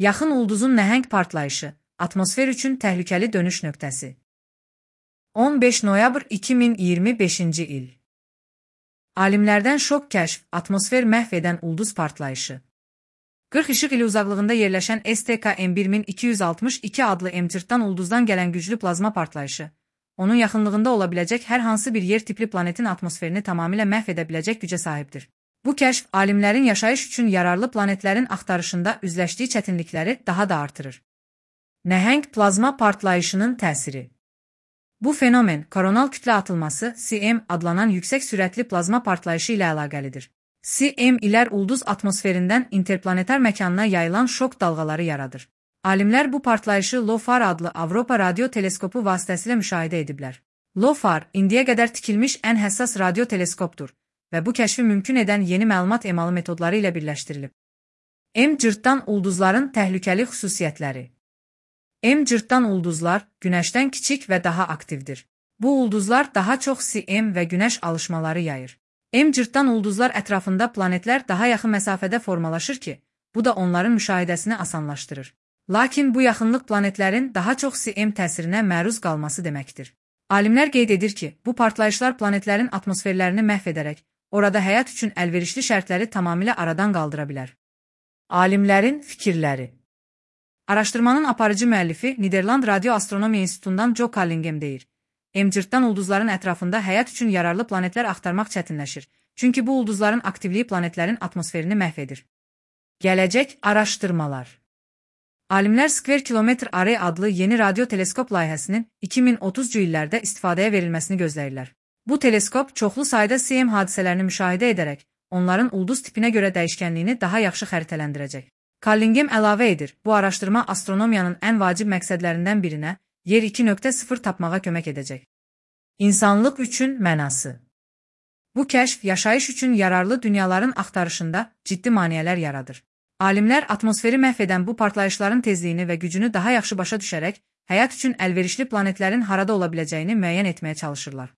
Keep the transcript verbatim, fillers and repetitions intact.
Yaxın ulduzun nəhəng partlayışı, atmosfer üçün təhlükəli dönüş nöqtəsi. on beş noyabr iki min iyirmi beşinci il. Alimlərdən şok kəşf, atmosfer məhv edən ulduz partlayışı. qırx işıq ili uzaqlığında yerləşən S T K M bir min iki yüz altmış iki adlı M-cırtdan ulduzdan gələn güclü plazma partlayışı, onun yaxınlığında ola biləcək hər hansı bir yer tipli planetin atmosferini tamamilə məhv edə biləcək gücə sahibdir. Bu kəşf, alimlərin yaşayış üçün yararlı planetlərin axtarışında üzləşdiyi çətinlikləri daha da artırır. Nəhəng plazma partlayışının təsiri. Bu fenomen, koronal kütlə atılması C M adlanan yüksək sürətli plazma partlayışı ilə əlaqəlidir. C M ilər ulduz atmosferindən interplanetar məkanına yayılan şok dalğaları yaradır. Alimlər bu partlayışı LOFAR adlı Avropa radio teleskopu vasitəsilə müşahidə ediblər. LOFAR, indiyə qədər tikilmiş ən həssas radio teleskopdur və bu kəşfi mümkün edən yeni məlumat emalı metodları ilə birləşdirilib. M-cırtdan ulduzların təhlükəli xüsusiyyətləri. M-cırtdan ulduzlar Günəşdən kiçik və daha aktivdir. Bu ulduzlar daha çox C M və Günəş alışmaları yayır. M-cırtdan ulduzlar ətrafında planetlər daha yaxın məsafədə formalaşır ki, bu da onların müşahidəsini asanlaşdırır. Lakin bu yaxınlıq planetlərin daha çox C M təsirinə məruz qalması deməkdir. Alimlər qeyd edir ki, bu partlayışlar planetlərin atmosferlərini məhv edərək, orada həyat üçün əlverişli şərtləri tamamilə aradan qaldıra bilər. Alimlərin fikirləri. Araşdırmanın aparıcı müəllifi Niderland Radio-Astronomiya İnstitutundan Joe Callingem deyir. M-cırtdan ulduzların ətrafında həyat üçün yararlı planetlər axtarmaq çətinləşir, çünki bu ulduzların aktivliyi planetlərin atmosferini məhv edir. Gələcək araşdırmalar. Alimlər Square Kilometre Array adlı yeni radio teleskop layihəsinin iki min otuzcu illərdə istifadəyə verilməsini gözləyirlər. Bu teleskop çoxlu sayda C M hadisələrini müşahidə edərək, onların ulduz tipinə görə dəyişkənliyini daha yaxşı xəritələndirəcək. Callingem əlavə edir, bu araşdırma astronomiyanın ən vacib məqsədlərindən birinə, Yer iki nöqtə sıfır tapmağa kömək edəcək. İnsanlıq üçün mənası. Bu kəşf yaşayış üçün yararlı dünyaların axtarışında ciddi maneələr yaradır. Alimlər atmosferi məhv edən bu partlayışların tezliyini və gücünü daha yaxşı başa düşərək, həyat üçün əlverişli planetlərin harada ola biləcəyini müəyyən etməyə çalışırlar.